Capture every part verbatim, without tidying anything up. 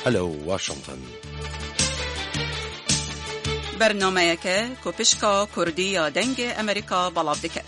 Hello Washington. Bernameyeke ku pişka Kurdî ya Dengê Amerîka belav dike.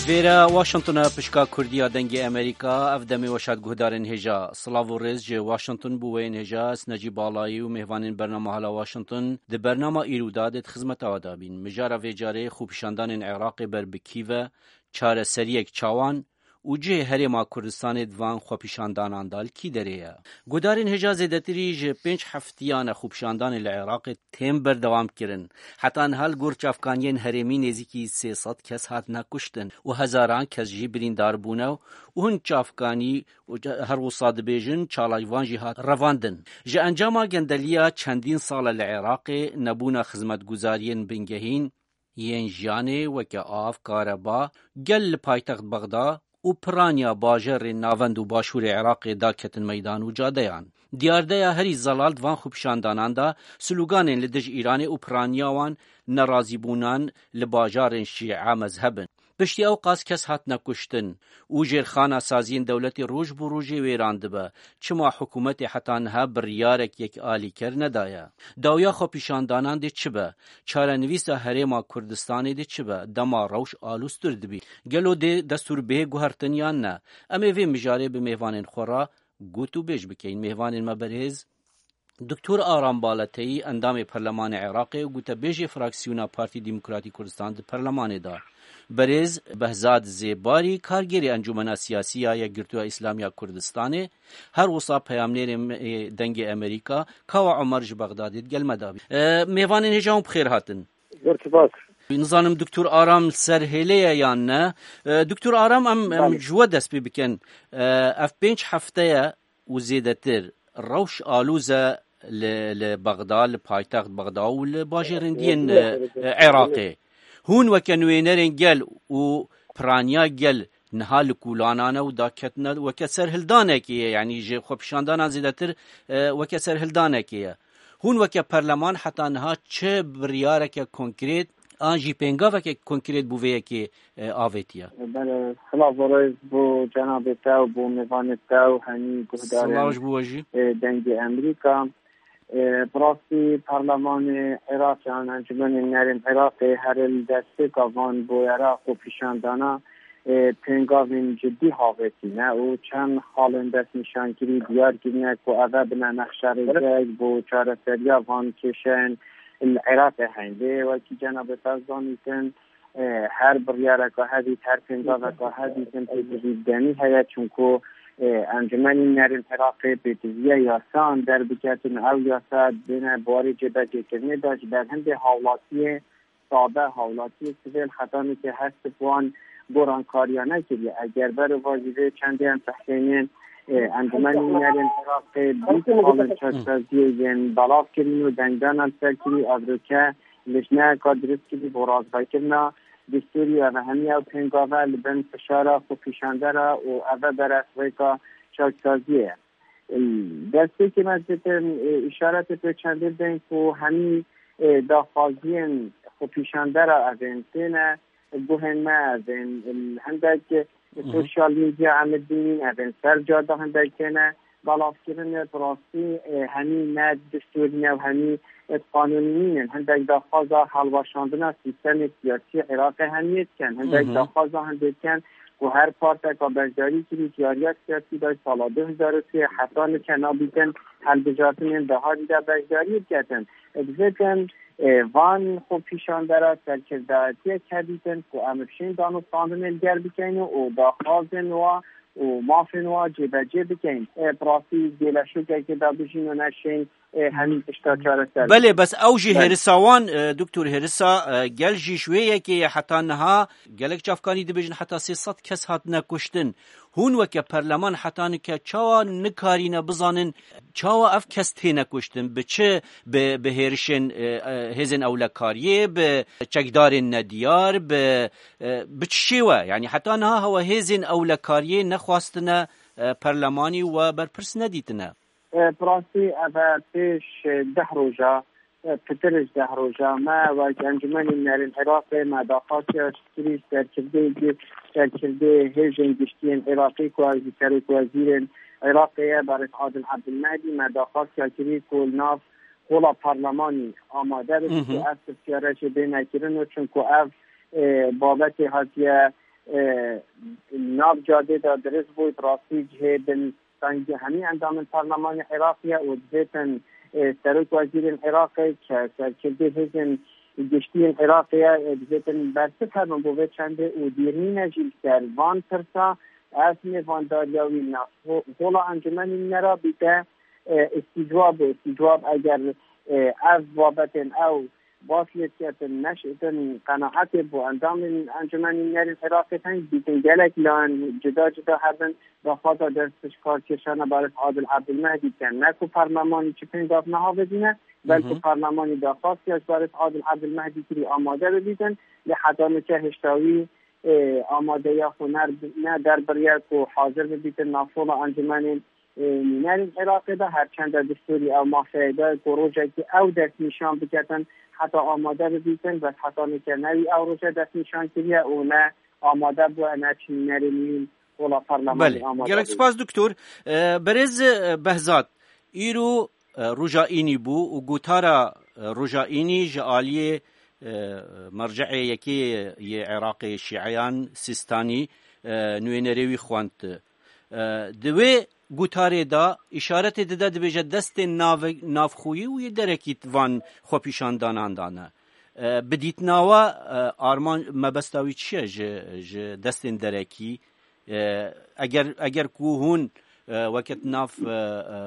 Vêre Washington e, pişka Kurdî ya Dengê Amerîka, ev demê weşat guhdarên hêja. Silav û rêz ji Washington bo wê yên hêja, ez Necîb Balayî û mêvanên bernama Hala Washington di bernama îro de dê di xizmeta we de bîn. Mijara vê carê xwepîşandanên Iraqê ber bi kî ve, çareseriyek çawan û cihê Herêma Kurdistanê di van xwepîşandanan de li kî derê ye? Guhdarên hêja, zêdetirî ji pênc heftiyan e xwepîşandanê li Iraqê tên berdewam kirin. Heta niha li gor çavkaniyên herêmî nêzîkî sê sed kes hatine kuştin û hezaran kes jî birîndar bûne û hin çavkanî û her wisa dibêjin çalakvan jî hat revandin. Ji encama gendeliya çendîn sal e li Iraqê, nebûna xizmetguzariyên bingehîn yên jiyanê weke av, kareba, gel li paytext Bexda û piraniya bajarên navend û başûrê Iraqê daketin meydan û cadeyan. Diyardeya herî zelal di van xwepîşandanan de sloganên li dij Îranê û piraniya wan, nerazîbûnan li bajarên şîe mezheb in. Piştî ew qas kes hatine kuştin û jêrxana saziyên dewletê roj bi rojê wêran dibe. Çima hikûmetê heta niha biryarek yekalîker nedaye? Dawiya xwepîşandanan dê çi be? Çarenivîsa Herêma Kurdistanê dê çi be? Dema rewş alûztir dibî, gelo dê destûr bihê guhertin yan ne? Em ê vê mijarê bi mêvanên xwe re gotûbêj bikeyin. Mêvanên me berhêz, Doktor Aram Baleteyî, endamê Perlemanê Iraqê û gotebêjê fraksiyona Partî Demokratî Kurdistan di Perlemanê de. Berêz Behzad Zêbarî, kargêrê Encûmena Siyasî ya Yekgirtûya Îslamî ya Kurdistanê, her wisa peyamnêrê me ê Dengê Amerîka, Kawa Omer ji Bexdadê digel me de bî. E, mêvanên hêja hûn bi xêr hatin. Zor spas. Nizanim Doktor Aram li ser hêlê ye yan ne. E, Doktor Aram, em, em Belê. Ji we dest pê bikin. E, ev pênc hefte ye û zêdetir rewş alûz e li, li Bexda, li paytext Bexda û li bajêrên diyên, e, e, Iraqê. Hûn weke nûênerên gel û piraniya gel niha li kûlanan e û daketine weke serhildanekê ye, yanî ji xwepîşandanan zêdetir, e, weke serhildanekê ye. Hûn weke perleman heta niha çi biryareke konkrêt an jî pêngaveke konkrêt bo vê yekê, e, avêtiye? Belê, silav û rêz bo cenabê te û bo mêvanê te û hemî guhdarên, Silav ji bo we jî. E, Dengê Amerîka. E, bi rastî Perlemanê Iraqê an Encûmenê Nerên Iraqê her li destpêka van boyera xwepîşandana, e, pêngavên cidî havêtîne û çend xalên destnîşankirî diyar kirine ku ev e bine nexşerêzek bo çareseriya van kêşeyên li Iraqê heyîn. Lê wekî cenabê te zanîtin, e, her biryareka hebît, her pêngaveka hebît, pêdivî demî heye, çunku, e, Encûmenî Nerên Iraqê pêdiviye yasan derbiketin, ew yasa dibêne barê cêbecêkirinê de ji ber hindê hawlatiyê sade, hawlatiyê sivêl hetanî ke hest bi wan gorankariyane kiriye. Eger berovajî vê çendê em tehsênên, e, Encûmenî Nerên Iraqê bîst xalên çaksaziyê yên belav kirin û dengdana li ser kirî, evroke lijneyeka dirust kirî bo razvekirina destûrî û ev hemiya ew pêngave li bin fişara xwepîşandera û ev e beref rêka çaksaziyê ye. Destpêkê me ditin, e, îşaretê pê çendê bidin ku hemî, e, daxwaziyên xwepîşandera evên têne guhên me, evên, e, hindek, e, Hı hı. sosyal medya em dibînin, evên ser cade hindek têne belavkirin, e, bi rastî, e, hemî ne destûrî ne û hemî, e, qanûnî nînin. Hindek daxwaza hilweşandina sîstemê siyasî Iraqê hemiyê dikin. Hindek Hı hı. daxwaza hindê dikin ku her parteka beşdarî kirî diyariya siyasî de sala du hezar û sê heta nike nabîtin hilbijartinên daharî de beşdarî biketin. Dibitin, e, van xwepîşandera serkirdayetiyek hebîtin ku em bişên danûstandinê li gel bikeyn û daxwazên wa û mafên wa cêbecê bikeyn. E, bi rastî gêleşokekê de bijîn û neşên, e, hemî tişta çareser. Belê, bes ew jî Belê. hêrisa wan, e, doktor, hêrisa, e, gel jî ji wê yekê ye. Heta niha gelek çavkanî dibêjin heta sê sed kes hatine kuştin. Hûn weke perleman heta nike çawa nikarîne bizanin çawa ev kes têne kuştin? Bi çi? Bi, bi hêrişên, e, e, hêzên ewlekariyê, bi çekdarên nediyar, bi, e, bi çi şêwe? Yanî heta niha hewe hêzên ewlekariyê nexwastine, e, perlemanî we berpirs nedîtine. Bi rastî ev e pêş deh roja, pitir ji deh roja me wek Encûmenê Nûnerên Iraqê me daxwastiya ji kirî serkirdeyê, serkirdeyê hêzên giştiyên Iraqê ku ew jî serokwezîrên Iraqê ye, Barês Adil Ebdilmehdî, me daxwastiya kirî ku li nav hola parlemanî amade bibî ku ev pirsiyare jê bêne kirin û çunku ev, e, babetê hatiye, e, nav cadê de dirist bû, bi rastî cihê bin Sanki hemî endamên parlemanê Iraqê ye û divêtin, e, serok wezîrên Iraqê ke serkirdê hêzên giştiyên Iraqê ye, e, divêtin bersiv hebin bo vê çendê û dîrnîne jî li ser van pirsa, ev mêvandariya wî nav ho-, hola Encûmenê Nûnerê bîte, e, îstîcwab û îstîcwab eger, e, ev babetên ew bas lê diketin, neşitin qenaetê bo endamên Encûmenê Nûnerên Iraqê teng dîtin. Gelek layan cuda cuda hebin, daxwaza destpêşkarkêşana Barês Adil Ebdilmehdî dikin. Ne ku parlemanî çi pêngav nehavêdîne, belku parlemanî daxwastiya ji Barês Adil Ebdilmehdî kirî amade bibîtin, lê heta nûke hêşta wî, e, amadeya xwe ner-, ne derbiriye ku hazir bibîtin nav hola Encûmenên e, Nûnerên Iraqê de, her çend e destûrî ew mafeyê de ku rojekî ew destnîşan biketin, heta amade bibîtin, bes heta nûke ne wî ew roje destnîşan kiriye û ne amade bûye, ne çi nûnerê nîn hola parlemanê Belê, amade gelek bûye. Spas doktor. E, berêz, e, Behzat, îro, e, roja înî bû û gotara, e, roja înî ji aliyê, e, merceê yekê yê Iraqê Şîeyan Sîstanî, e, nûênerê wî xwend. E, di wê gutarê de îşaretê dide, dibêje destên nave-, navxweyî û yê derekî van xwepîşandanan dane. E, bi dîtina we, e, arman mebesta wî çi ye ji, ji destên derekî? E, eger, eger ku hûn, e, weke di nav, e, e,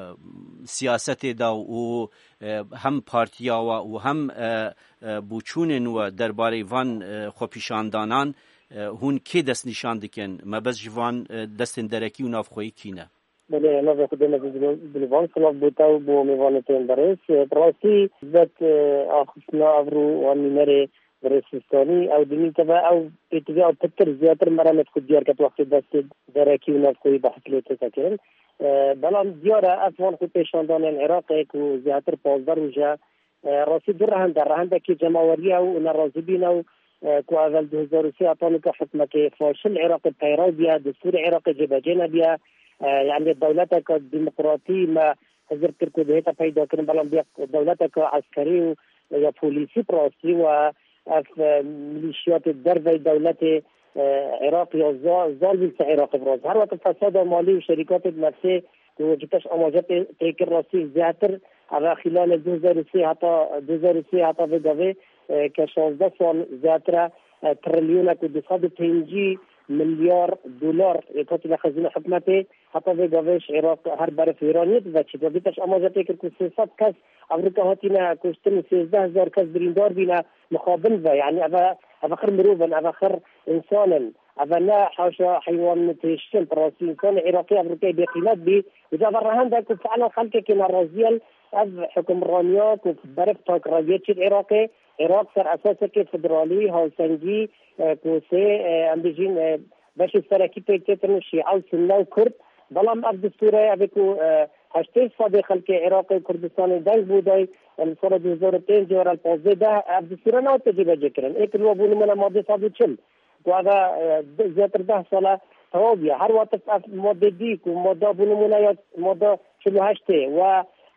siyasetê de û, e, hem partiya we û hem, e, e, boçûnên we derbarê van, e, xwepîşandanan, e, hûn kê destnîşan dikin? Mebest ji van, e, destên derekî û navxweyî kî ne? Belê, navê Xwedê me zî dilû-, dilûvan silav bo te û bo mêvanê te yên berêz. E, bi rastî, bet, e, axiftina evro wan nûnerê berêz Sîstanî, ew dimîn teve, ew pêtivî ew pitir, zêdetir merem e ku diyar ket wextê destê derekî û navxweyî behs lê tête kirin. E, belam diyar e, ev wan xwepêşandanên Iraqê ku zêdetir pazdeh roj e, E, rastî du rehend e. Rehendekî cemawerî ye û nerazîbîn e û, e, ku evel du hezar û sê heta nika hikûmetê faşil Iraqê peyrew bûye, destûrê Iraqê cêbecê nebûye. E, yanî dewleteke demokratî me hizir kir ku dihête peyda kirin, belam bûye dewleteke eskerî û ya polîsî bi rastî û ev, e, milîşiyatê derveyî dewletê, e, Iraq ya za-, zar bî li ser Iraqê bi rastî. Her weke fesada malî û şerîkatê bi nefsê ku ji pêş amaje pê-, pê kir rastî zêdetir, eve xîlalê du hezar û sê heta, du hezar û sê heta vê gavê, e, ke şazdeh sal zêdetir e, e, trilyonek û du sed û pêncî milyar dolar yê hatine xezîna hikûmetê, heta vê gavê ji Iraq her berê wêraniyê diveçî. Ve vê pêş amaje pê kir ku sê sed kes Avrûka hatine kuştin û sêzdeh hezar kes birîndar bîne mixabin ve. Yanî eve, eve xir mirov in, eve xir însan in. Eve ne haşa heywan têştin, bi rastî însanê Iraqî Avrûkayê bêqîmet bî. Û eve rehendek ku fiilen xelkekê nerazî ye, ev hukimraniya ku berif takreviyê çêt Iraqê, Iraq ser esasekê federalî, hawsengî, e, ku sê, e, em bêjin, e, beşê serekî pêk têtin şîe û sunne û kurd. Belam ev destûre, ev ê ku, e, heştê sedê xelkê Iraqê û Kurdistanê deng bû day, e, li sala du hezar û pênc were li pazdeh deh, ev destûre nehate cêbecê kirin. Ê ku li we bû nimûne madde sed û çil. Ku eve, e, de-, zêdetir deh sal e tewa bûye. Her wextê ev madde dî ku madde bû nimûne ya madde çil û heştê we,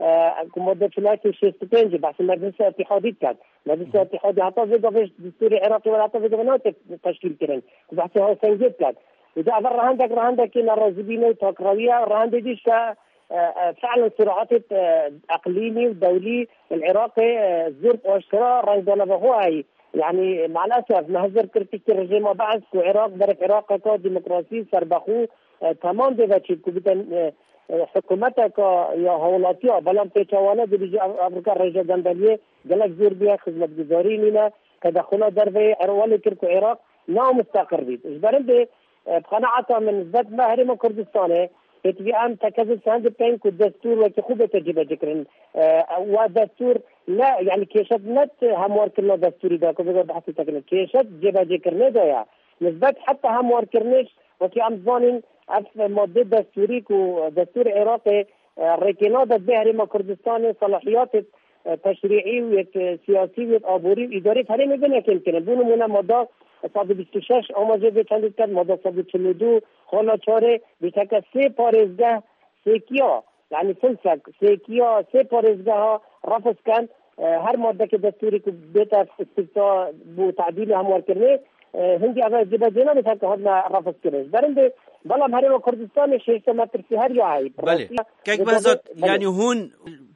e, ku madde çil û heştê şêst û pênc behsê Meclisa Îtîhadî diket. Meclisa Îtîhadî heta vê gavê destûrê Iraqê were heta vê gavê nehate teşkîl kirin. Ku behsê hawsengiyê diket. Û de eve rehendek, rehendekê nerazîbînê û takrewî ye. Rehendê dî işte, e, e, fiilen siraetê, e, eqlîmî û dewlî li Iraqê, e, zor bi aşkera rengdana ve xwe heyî. Yanî, maalesef, me hizir kir piştî rejîma Beis ku Iraq, berif Iraqeke demokrasî, serbexwe, e, temam dê veçî ku bite, e, e, hikûmeteke ya hawlatiya, belam pêça wan e, dibêje ev, ev rika rêje gendeliyê gelek zor bûye, xizmetguzarî nîne, tedexula derveyê Iraq welê kir ku Iraq neo musteqir bît. Ji ber hindê, e, bi qenaeta min, nisbet me Herêma Kurdistanê, pêtivî em tekezin send peyên ku destûr wekî xwe bête cêbecîkirin. E, wa destûr ne, yanî kêşet ne hemwarkirina destûrî de, ku vêga behsê te kirin. Kêşet cêbecêkirinê de ye. Nisbet heta hemwarkirinê, wekî em zanîn, ev madde destûrî ku destûrê Iraqê E, rêkê nade divê Herêma Kurdistanê selahiyatê, e, teşrî'î û yê, e, siyasî û yê aborî û îdarî herêmê bine kêmkirin. Bo nimûne, mada sed û bîst û şeş amaje vê çendî diket, mada sed û çil û du, xala çarê, dîteke sê parêzgeh sêkiya, yanî filsek sêkiya sê parêzgeha refz ken, e, her madekê destûrî ku bête îstîfta bo tedîlê hemwarkirinê, e, hindî eve cêbecê nabe, fek hatine refz kirin. Ji ber hindê, belam Herêma Kurdistanê şêşte metirsî her ya heyî. Belê. Rastiya Kek Behzat, belê. Yanî hûn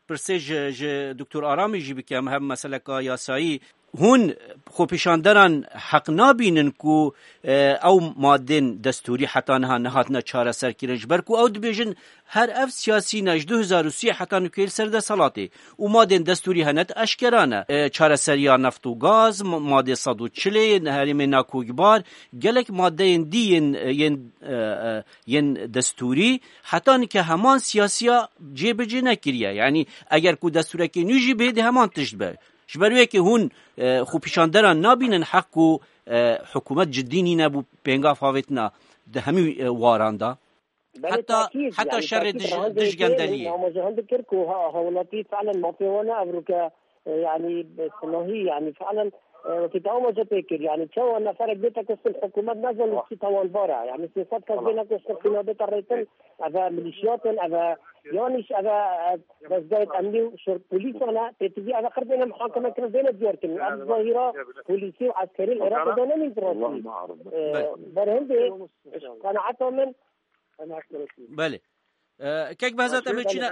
pirsê ji, ji Doktor Aramî jî bikim, hem meseleka yasayî. Hûn xwepêşanderan heq nabînin ku, e, ew madên destûrî heta niha nehatine çareserkirin, ji ber ku ew dibêjin her ev siyasî ne ji du hezar û sî heta nûkê li ser desthilatê û madên destûrî hene di eşkera ne. E, çareseriya neft û gaz, ma-, madê sed û çilê yên herêmê nakokbar, gelek madeyên dî yên, yên, e, e, yên destûrî heta nike heman siyasiya cêbicê nekiriye. Yanî eger ku destûrekê nû jî bê, dê heman tişt be. Ji ber wê yekê hûn, e, xwepêşanderan nabînin heq ku, e, hikûmet cidî nîne bo pêngav avêtina di hemî, e, waran de? Belê, Heta, tekîd, heta yanî şerê tekîd dij-, rahandê dijgendeliyê. Hema ji hin dikir ku ha, hawlatî felen mafê wan e, evroke, e, yanî, e, silahî, yanî felen, e, wekî te amaje pê kir, yanî çawa neferek bête kuştin, hikûmet nezane çi tawanbar e, yanî sê sed kes bêne kuştin, xîna bête rêtin, eve milîşiyat in, eve yan îş, eve, e, dezgehê emnî û şer polîsan e, pêtivî eve qir bêne muhakeme kirin, bêne diyar kirin. Ev zahîra polîsî û eskerî li Iraqê de nemîn rastî. E, ber hindê, ji qenaeta min, Belê. E, Kek Behzat, em ê çîne,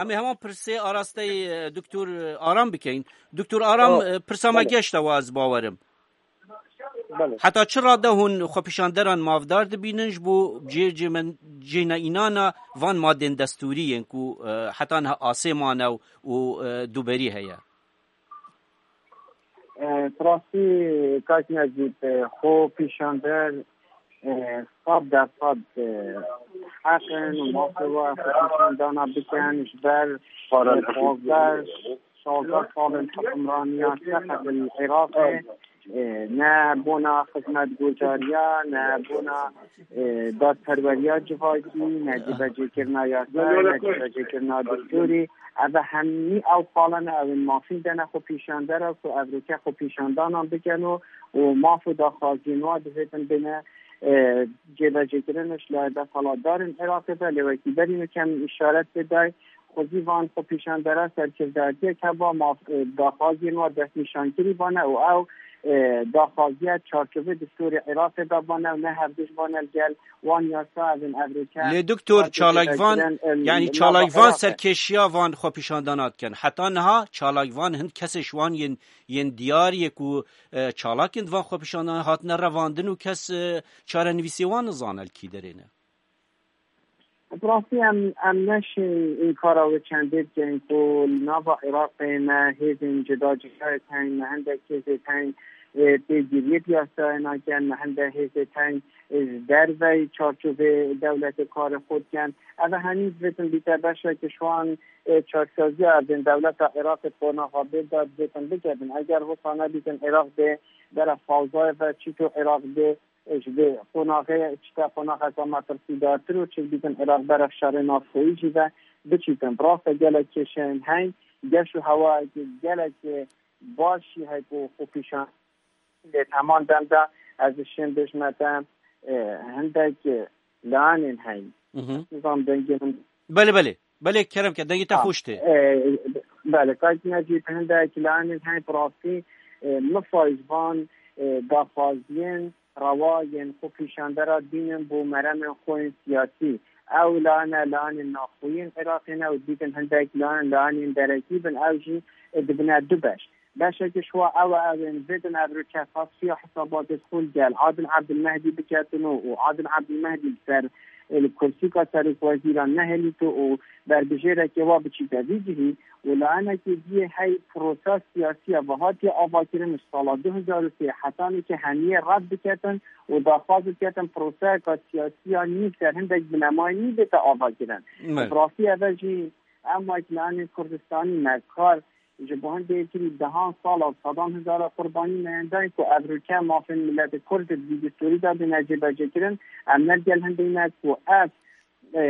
em ê heman pirsê arasteyî, e, Doktor, e, Aram bikeyin. Doktor Aram, e, pirsa me geşta we, ez bawerim. Belê. Heta çi rade hûn xwepêşanderan mafdar dibînin ji bo cê-, cêmen-, cêneînana van madên destûrî yên ku, e, heta niha asê mane û, û, e, duberî heye? E, bi rastî, kak Necîb, e, xwepêşander, e, sed dersed, e, heq in û mafê we xwepêşandana bikin, ji ber, e, pazdeh, şazdeh salên hukimraniya seqet li Iraqê, e, ne bona xizmetguzariya, ne bona, e, dadperweriya civakî, ne cîbecêkirina yasa, ne cîbecêkirina destûrî. Eve hemî ew xalene, ew ên mafîn dene xwepêşandera ku evroke xwepêşandanan bikin û, û maf û daxwaziyên wan divêtin bêne, e, cêbecêkirin ji layê desthilatdarên Iraqê ve. Lê wekî berî min kem îşaret pê dayî, xwezî van xwepêşandera serkirdariyek heba maf, e, daxwaziyên wan destnîşankirî bane û ew, e, daxwaziya çarçovê destûrê Iraqê de bane û ne hevdij bane li gel wan yasa, ev ên evroke Lê Doktor, hate Çalakvan, cêbecîkirin, e, yanî li nava Çalakvan Iraqê. Serkêşiya van xwepêşandana dikin. Heta niha Çalakvan hin kesê ji wan yên, yên diyar yê ku, e, çalakên di van xwepêşandana hatine revandin û kes, e, çarenivîsê wan nizane li kî derê ne. Bi rastî em, em neşên înkara wê çendê bikin ku li nava Iraqê me hêzên cuda cudayek hene, me hindek hêzê teng, e, pêgiriyê bi yasayê nakin, me hindek hêzê teng, e, ji derveyî çarçovê dewletê karê xwe dikin. Ev hemî divêtin bîte beşek ji wan, e, çaksaziya ev ên dewleta Iraqê qonaxa bê de divêtin bikevin. Eger wisa nebîtin, Iraq bê bere fawzayê ve, çîto Iraq bê ji vê qonaxê çite qonaxeke metirsîdartir û çi dibîtin Iraq beref şerê navxweyî jî ve biçîtin. Bi rastî gelek kêşeyên heyn, geş û hewayekî gelekî baş jî heye ku xwe pîşan lê heman dem de ez dişêm bêjme te, e, hindek layanên heyn. Mhm. Nizam dengê min Belê, belê. Belê, kerem ke, dengê te Ha, xweş tê. e, belê, kayk Necîb, hindek layanên heyî bi rastî, e, mifayîz van, e, daxwaziyên rewa yên xwe pîşandera dînin bo meremên xwe yên siyasî. Ew layane, layanên naxweyî yên Iraqê ne û dîtin hindek layan, layanên derekî bin, ew jî, e, dibine du beş. Beşekî ji wa ew e, ew ên bidin ev rûçe tasfiya hisabatê xwe li gel Adil Ebdilmehdî biketin û, û Adil Ebdilmehdî li ser, li kursîka serokwezîran nehêlîto û berbijêrekê wa biçîte vî cihî û layenekî diyê hey prosa siyasî ya ve hatiye avakirin ji sala du hezar û sê hetanî ke hemiyê red biketin û daxwaz biketin proseyeka siyasî ya nî ser hindek binemayî nî bête avakirin. Me. Bi rastî ev e jî em wek layenên Kurdistanî me kar Ji bo hindê yekî dehan sala û sedan hezara qurbanî meyendayî ku ev rûke mafên miletê Kurd di vî destûrî de bîne cêbecêkirin, em ne digel hindê ne ku ev, e,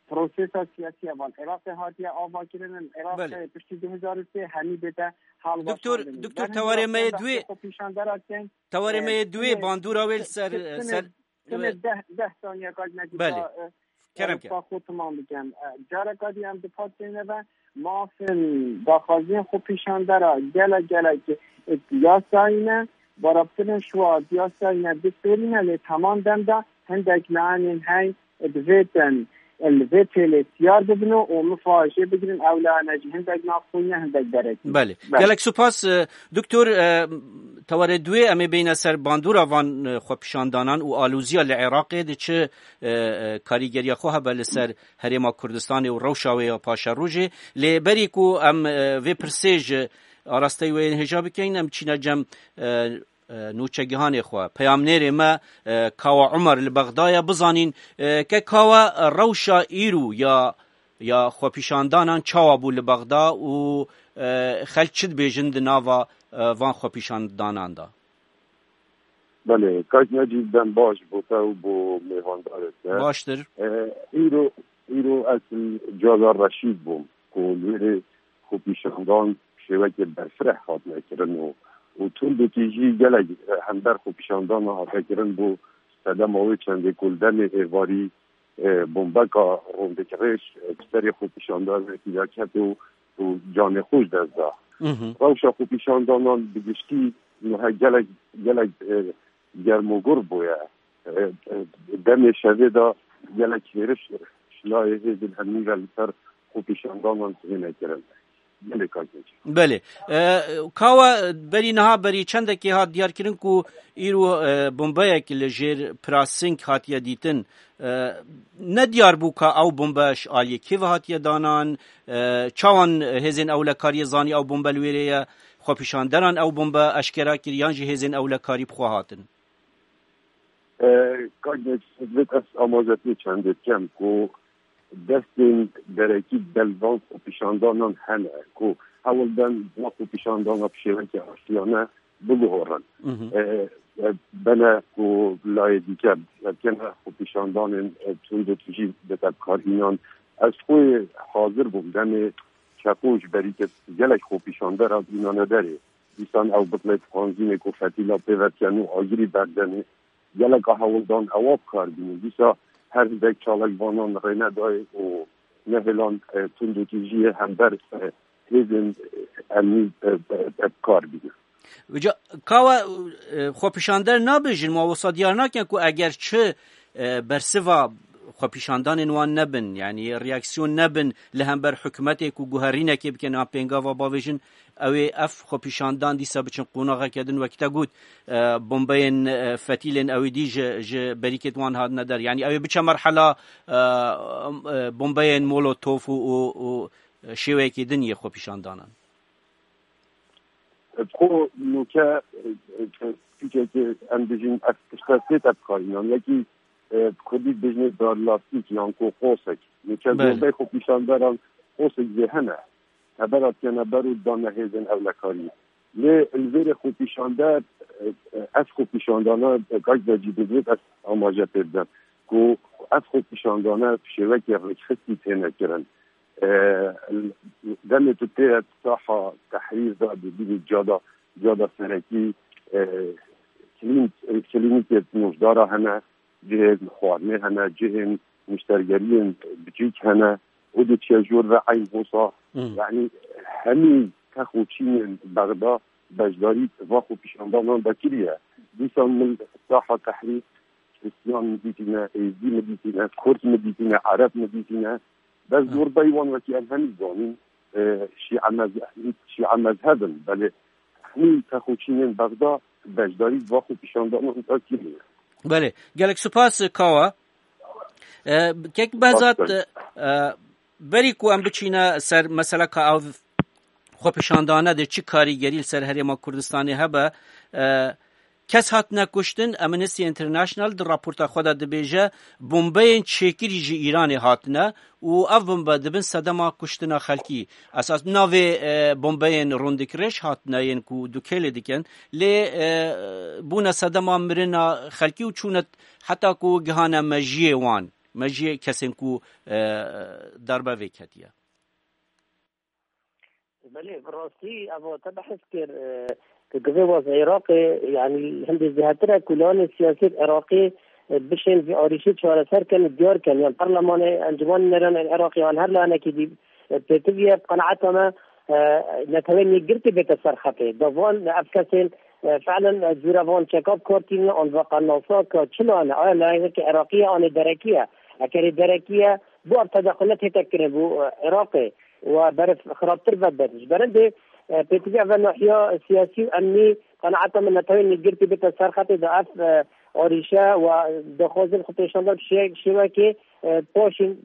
prosesa siyasî ya van Iraqê hatiye avakirin. Iraqê Belê. Piştî du hezar û sê hemî bête halweşandin. Doktor, doktor, tewarê me yê duê, xwepîşandera tên, tewarê me yê duê bandûra wê li ser, ser, Tenê deh, deh saniye kaç nekî Belê. Kerem ke. Xwe tamam bikem. E, careka dî em dipat têne ve mafin daxwaziyên xwe pîşandera gelek gelek, e, yasayî ne, barabtirin şuwa yasayî ne distûrî ne, lê teman dem de hindek lanên hey, e, divêtin, e, li vê têlê tiyar bibin û mifa jê bigirin, ew lane jî hindek navxwî ne, hindek derekî. Belê. Belê. Gelek supas, e, doktor, e, tewarê duê em ê bêyne ser bandûra van, e, xwepîşandanan û alûziya li Iraqê di çi, e, e, karîgeriya xwe hebe li ser Herêma Kurdistanê û rewşa wê ya paşerojê. Lê berî ku em, e, vê pirsê ji arasteyî wê yên hêja bikeyin, em çîne cem, e, e, nûçegihanê xwe. Peyamnêrê me, e, Kawa Umer li Bexda ye, bizanîn, e, ke Kawa, e, rewşa îro ya, ya xwepîşandanan çawa bû li Bexda û, e, xelk çi dibêjin di nava, e, van xwepîşandanan de? Belê, kak Necîb, dem baş bo te û bo mêvandarê te. Baştir. E, îro, îro ez li cala Reşîd bûm, ku li wê rê xwepîşandan şêwekê berfireh hatine kirin û, û tundekî jî gelek, e, hember xwepîşandana hate kirin bo sedema wê çendê ku li demê êvarî, e, bombeka rûndikirêj, e, bi serê xwepîşandarekî de ket û, û canê xwe ji dest da. Mhm. Rewşa xwepîşandanan bi giştî niha gelek, gelek, e, germogur bûye. E, e, demê şevê de gelek hêriş ji layê hêzên emnî ve li ser xwepîşandanan têne kirin. Gelek kar tê. Belê. E, Kawa, berî niha, berî çendekê hat diyarkirin ku îro, e, bombeyek li jêr Prasing hatiye dîtin. E, ne diyar bû ka ew bombe ji aliyê kê ve hatiye danan, e, çawan hêzên ewlekariyê zanî ew bombe li wêrê ye, xwepîşanderan ew bombe eşkera kir yan jî hêzên ewlekarî bi xwe hatin? E, kak Necîb, ez amazetê çendê dikem ku destên derekî di van xwepîşandanan hene ku hewl dan van xwepîşandana bi şêwekê aştiyane biguhorin. Mhm. E, e, bene ku layê dîke, e, kene xwepîşandanên, e, tundekî jî bete bikarînan. Ez xwe hazir bûm demê çeko ji berî ke gelek xwepîşandera bînane derê. Dîsan ew bitlê dixwanzînê ku fetîla pê ve tiyen û agirî berdenê. Geleka hewldan ewa bi kar bînin. Dîsa her hindek çalakvanan rê nedayê û nehêlan, e, tundekî jiyê hember, e, hêzên, e, emnî, e, e, e, bi kar bînin. Uca, Kawa, e, xwepîşander nabêjin, ma wisa diyar nakin ku eger çi, e, bersiva xwepîşandanên wan nebin, yanî reaksiyon nebin li hember hikûmetê ku guherînekê bikin an pêngava bavêjin, ew ê ev xwepîşandan dîsa biçin qonaxeke din, wek te got, e, bombeyên, e, fetîlên ew ê dî ji, ji berîkêt wan hatine der. Yanî ew ê biçe merhela, e, e, bombeyên molotof û, û, û şêweyekê din yê xwepîşandanan. Xwe nûke, e, e, tîkekê em dijîn ev tişte sê te bikarînan. Yekî, e, bi kurdî dibêjinê darlastîk yan ku qosek. Nûke Belê. Zorbey xwepîşanderan qosek zê hene. Tebera tiyane ber û dane hêzên ewlekariyê. Lê li vêrê xwepîşander, e, e, ev xwepîşandana, e, kak Necîb, divêt ez amaje pê bidim ku ev xwepîşandane bi şêwekê rêkxistî têne kirin. E, demê tu tê saha Tehrîr de dibînî ciyada, ciyada serekî, e, klîn-, klînîkê nojdara hene, cihên xwarinê hene, cihên niştergeriyên biçûk hene, û diçe jor ve eyn hosa. Hmm. Yanî hemî tex û çînên Bexda beşdarî va xwepîşandanan de kiriye. Dîsa min saha Tehrîr Hristiyan min dîtîne, Êzdî min dîtîne, Kurd min dîtîne, Ereb min dîtîne. Bes Hı. zorbey wan wekî em hemî zanîn, e, Şîe mez-, Şîe mezheb in. Belê hemî tex û çînên Bexda beşdarî va xwepîşandanan de kiriye. Belê. Gelek spas, Kawa. E, kek Behzat, Baş e, e, berî ku em biçîne ser meseleka ev xwepişandane de çi karîgerî li ser Herêma Kurdistanê hebe, e, kes hatine kuştin, Amnesty International di raporta xwe de dibêje, bombeyên çêkirî ji Îranê hatine û ev bombe dibin sedema kuştina xelkî. Esas navê, e, bombeyên rûndikirêj hatine yên ku dûkêlê dikin, lê, e, bûne sedema mirina xelkî û çûne heta ku gihane mejiyê wan. mejiyê kesên ku, e, darbe vê ketiye. Belê, bi rastî ev te behs kir, e, ku givê waz Iraqê, yanî hindê zêdetir e ku lawanê siyasî Iraqê, e, bişên vî arîşî çareser kin û diyar kin, yan Perlemanê, Encûmenê Nêrên Iraqê, yan her lawanekî dî, e, pêtivî ye, bi qenaeta me, e, netewên yekgirtî bête ser xetê. Da van ev kesên, e, fiilen, e, cûre van çeka bi kar tînin, an ve qenasa ka çi lawan e, aya lawanekî Iraqî ye, anê derekî ye. Ekerê derekî ye, bo ev tedexulet hête kirin bo, e, Iraqê. Wa berif xirabtir vedibin. Ji berindê, e, pêtivî ev nahiya siyasî û emnî qenaeta min netewên yekgirtî bête ser xetê de ev, e, arîşe wa daxwazin xwe pêşan da şê-, şêwekê, e, paşî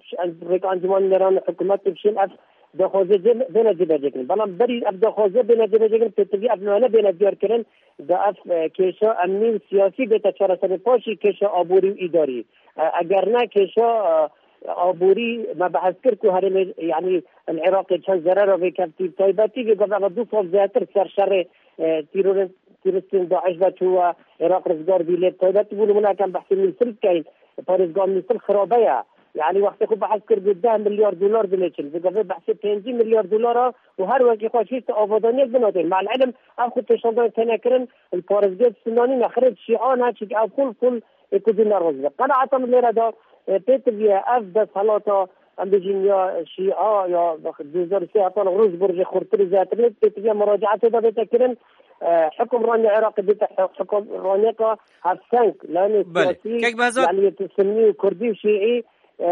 rêka Encûmenê Nêrên hikûmet û şên ev daxwaze cê-, bêne cêbecêkirin. Belam berî ev daxwaze bêne cêbecêkirin, pêtivî ev nane bêne diyarkirin, da ev, e, kêşa emnî û siyasî bête çareserê paşî kêşa aborî û îdarî. E, eger ne kêşa, e, aborî me behs kir ku herêmê, yanî li Iraqê çend zerera vêkevtî, taybetî vê gava du sal zêdetir ser şerê, e, tîrorên, tîristên DAIŞ ve çû we Iraq rizgar bî, lê taybetî bû nimûne em behsê Mîsil bikeyn, parêzgeha Mîsil xirabe ye. Yanî wextê xwe behs kir ku deh milyar dolar dilêçin, vê gavê behsê pêncî milyar dolara û her wekî xwe şîst avadaniyek binatên. Mal ilim ev xwe pêşandan têne kirin, li parêzgehê Sinanî nexirê şîan e, çik ev xul xul ê ku dî neroz be. Qenaeta min lêre de, e, pêtiviye ev desthilata, em bêjin ya şîa ya du hezar û sê hetan rû ji bo rojê xurtir û zêdetir lê pêtiviye muracaetê de bête kirin, e, hikûmranê Iraqê bête hi-, hikûmraneka hevseng, layenê Belê. siyasî, Kek Behzat yanî yê Sunnî û Kurdî û Şîî, e,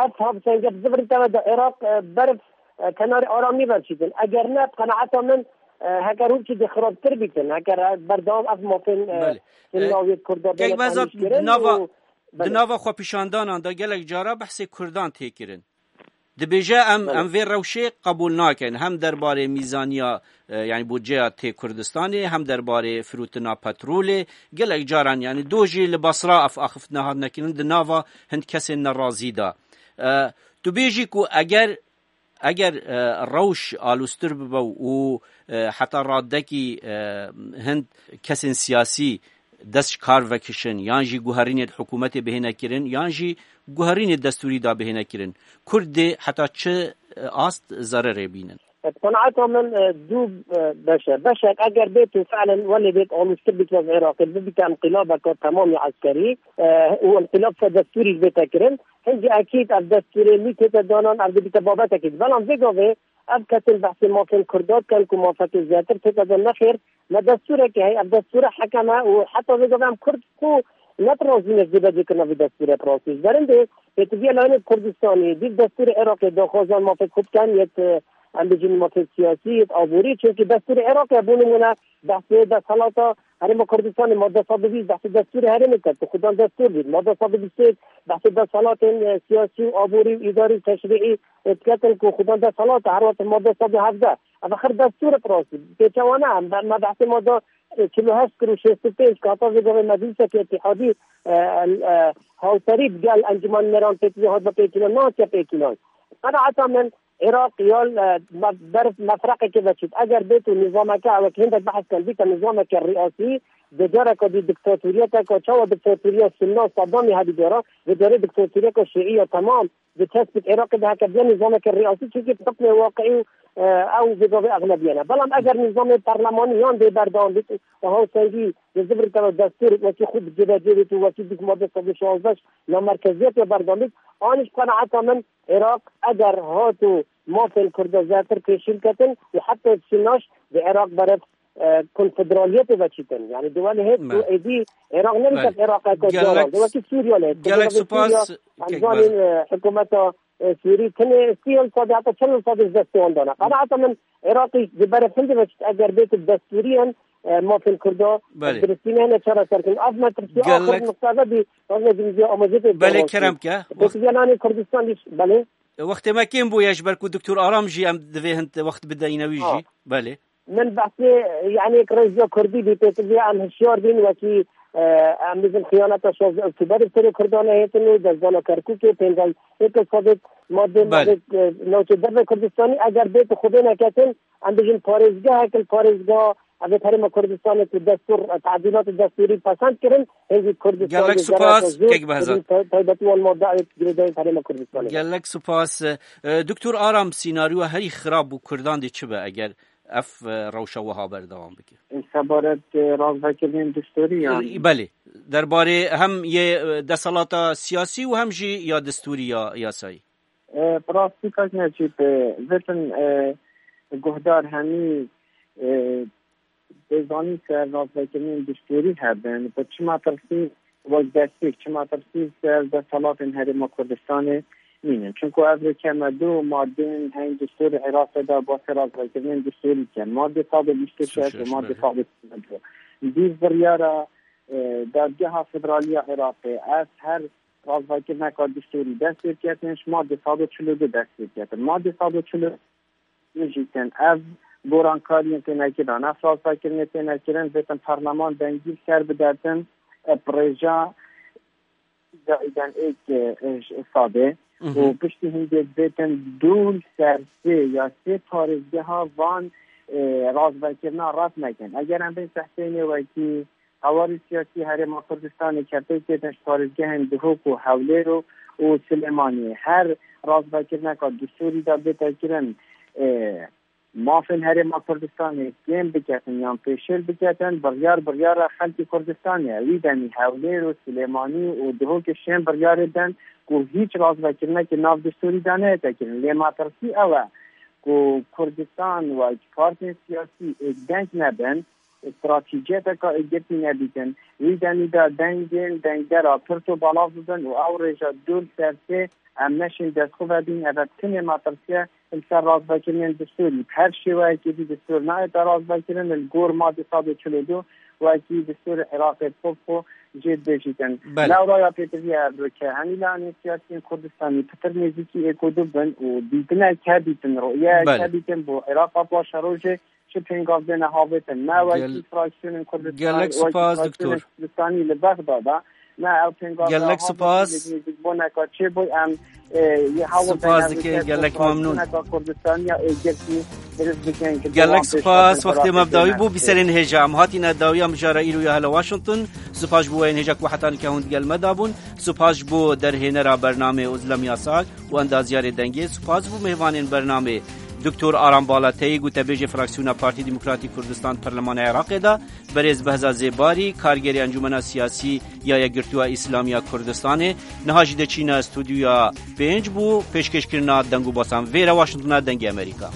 ev hevsenge bi zivirî teve de Iraq, e, berf, e, kenarê aramî ver çîtin. Eger ne, bi qenaeta min, e, heker hûn çi dê xirabtir bîtin, heker, e, berdewam ev mafên, e, Belê. Sunna û yê Kurda Kek bêne Behzat, tanîşkirin di nava, û, di belê. nava xwepîşandanan de gelek cara behsê Kurdan tê kirin. Dibêje, em, Belê. em vê rewşê qebûl nakin. Hem derbarê mîzaniya, e, yanî budceya tê Kurdistanê, hem derbarê firotina petrolê. Gelek caran, yanî do jî li Basra ev axiftina hatine kirin, di nava hind kesên nerazî de. E, tu bêjî ku eger, eger, e, rewş alûstir bibe û, e, heta radekî, e, hind kesên siyasî dest ji kar vekişin, yan jî guherînê di hikûmetê bihêne kirin, yan jî guherînê destûrî da bihêne kirin. Kurd dê heta çi, e, ast zererê bînin? Bi qenaeta min, e, du, e, beş e. Beşek eger bêt û fiilen welê bêt alûstir bît wez Iraqê, bibîte inqilabeke temamî eskerî, e, û inqilab ser destûrî bête kirin. Hingî ekîd ev destûrê nî tête danan, ev dibîte babetekî. Belam vê gavê ev kesên behsê mafên Kurda dikin ku mafekê zêdetir tête de nexêr, me destûrekê heye, ev destûre hekem e û heta vê gavê em Kurd ku ne bi razî ne ji dê becêkirina vê destûrê bi rastî. Ji berindê pêtiviya layenê Kurdistanê, dîv destûrê Iraqê daxwazan mafê xwe bikin, yet, e, em bêjin mafê siyasî, yet aborî, çunkî destûrê Iraqê bo nimûne behsê desthilata Herêma Kurdistanê madde sed û bîst behsê destûrê herêmê ket, ku xudan destûr bît. Madde sed û bîst û yek behsê desthilatên, e, siyasî û aborî û îdarî û teşrîî, e, diketin ku xudan desthilat e, her wextê madde sed û hevdeh. Ev axir destûr e bi rastî. Pêçewane em, me behsê madde, e, çil û heşt kir û şêst û pênc, ku heta vê gavê meclîsekî îtîhadî, e, e, hawserî bi gel Encûmen Nêran pêtivî hatibe pêkînan, nehatiye pêkînan. Qenaeta min, Iraq ya, e, me-, ber mefreqekê veçût. Eger bêt û nîzameke, wekî hindek behs kirin, bîte nîzameke riyasî, di careke dî diktatoriyeteke, çawa diktatoriya Sunna Saddamî hebî cara, di carê diktatoriyeke Şîî ya temam, di çespik Iraqê de heke biya nîzameke riyasî, çunkî hukmê waqiî û, e, ew vê gavê exlebiyene. Belam eger nîzamê perlemanî yan dê berdewam bît û hawsengî di zivirî teva destûr wekî xwe bi cêbecê bît û wekî dîk madde sed û şazdeh namerkeziyetê berdewam bît, anî ji qenaeta min Iraq eger hat û mafên Kurda zêdetir pêşî biketin û heta Sînaş di Iraq berev, e, konfederaliyetê veçîtin. Yanî di welê hêt ku Belê. êdî Iraq nebîte Belê. Iraqeke Gelek, caran. Di wekî Sûriye lê hêt. gelek Sûriye, spas, em kek zanîn, Behzat. e, hikûmeta, e, Sûrî tenê sî yal sadî heta çil yal sadî ji destê wan dana. Qenaeta min Iraqî di berev hindê veçît eger bêt bi destûriyan, e, mafên Kurda Belê. Filistinê hene çareser kin. Ev me tirsiya Gelek axir nixtave bî, ev me zî amajê pê Belê, kerem ke. Pêtiviya lanê Kurdistan dîş, belê. Wextê me kêm bûye, ji ber ku Doktor Aram jî em divê hin wext bideyne wî Ha. jî. Belê. Min behsê, yanî, rêziya Kurdî bî, pêtiviya em hişyar bîn, wekî, e, em bêjin xiyaneta şazdeh Oktoberê serê Kurdan hêtin û dezdana Kerkûkê, pênc êk sadê madê Belê. navê, e, navçe derve Kurdistanî, eger bêt xwe bê neketin, em bêjin parêzgehek li parêzgeha Ev ê Herêma Kurdistanê ku destûr, tedîlatê destûrî pesend kirin, hêzî Kurdistan Gelek di supas, zerata zor, Kek Behzad. Te-, taybetî wan madde ayê girêdayî Herêma Kurdistanê. Gelek supas. E, Doktor Aram, sînaryoya herî xirab bo Kurdan dê çi be eger ev, e, rewşa wiha berdewam bike? Sebaret, e, razvekirinên destûrî yan? E, belê. Derbarê hem yê, e, desthilata siyasî û hem jî ya destûrî ya yasayî. E, bi rastî kak Necîb, e, vêtin, e, guhdar hemî, e, dê zanîn ser razvekirinên destûrî hebin, bi çi metirsî wek destpêk, çi metirsî ser desthilatên Herêma Kurdistanê nînin. Çunku ev rike me du madeyên heyî destûrê Iraqê de basê razvekirinên destûrî dikin. Madde sed û bîst û şeş û madde sed û bîst û du. Dîv biryara, e, Dadgeha Federalî ya Iraqê, ev her razvekirineka destûrî dest pê diketin, ji madde sed û çil û du dest pê diketin. Madde sed û çil û du jî tên ev gorankariyên têne kirin, ev razvekirinê têne kirin, vêtin parleman dengî li ser bidetin, e, bi rêja îdayî den êk, e, ji sadê. Mhm. Û piştî hindê vêtin du li ser sê ya sê parêzgeha van, e, razvekirina red nekin. Eger em bên sehpênê wekî Hewarê siyasî Herêma Kurdistanê ke pêk têtin ji parêzgehên Duhok û Hewlêr û, û Silêmaniyê. Her razvekirineka destûrî de bête kirin, e, mafên Herêma Kurdistanê kêm biketin yan pêşêl biketin, biryar biryara xelkê Kurdistanê ye. Wî demî Hewlêr û Silêmanî û Duhokê şên biryarê den ku hîç razvekirinekê nav destûrî de neyête kirin. Lê metirsî ew e ku Kurdistan wek partiyên siyasî êk deng nebin, stratejiyeteka êkgirtî nebîtin. Wî demî de dengên dengdera pirt û belav bibin û ew rêja du li ser sê em neşên destxwe vedîn, ev e tinê metirsî ye li ser razvekirinên destûrî. Bi her şêweyekê dî destûr nayête razvekirin, li gor madde sed û çil û du wekî destûrê Iraqê bi xwe jê dibêjîtin. Belê. Lewra ya pêtivî ev rike, hemî layanên siyasiyên Kurdistanî pitir nêzîkî êk û du bin û dîtinek hebîtin, ru'yeyek Belê. hebîtin bo Iraqa paşerojê, çi pêngavdê ne havêtin. Ne wekî Gel-, fraksiyonên Kurdistanî, gelek wekî spas, fraksiyonên doktor. Kurdistanî li Bexda de, ne ew pêngavdê Gelek havêtin, spas. Nêzîkbûneka çêbû, em, e, yê hewl Spas dike, gelek memnûn. Fraksiyoneka Kurdistanî ya êkgirtî dirist bikin ki Gelek dewan pêş spas, wextê me bi dawî bû, bîserên hêja. Em hatîne dawiya mijara îro ya hela Washington. Spas ji bo weyên hêja ku heta nika hûn digel me de bûn. Spas ji bo derhênera bernameyê Ozlem Yasak û endaziyarê dengê. Spas ji bo mêvanên bernameyê. Doktor Aram Balateyî, gotebêjê fraksiyona Partî Demokratîk Kurdistan Perlemana Iraqê de, berêz Behza Zêbarî, kargerê Encûmena Siyasî ya Yekgirtûya Îslamî ya Kurdistanê, niha jî diçîne stûdyoya pênc bo pêşkêşkirina deng û basan. Vêre Washingtona Dengê Amerîka.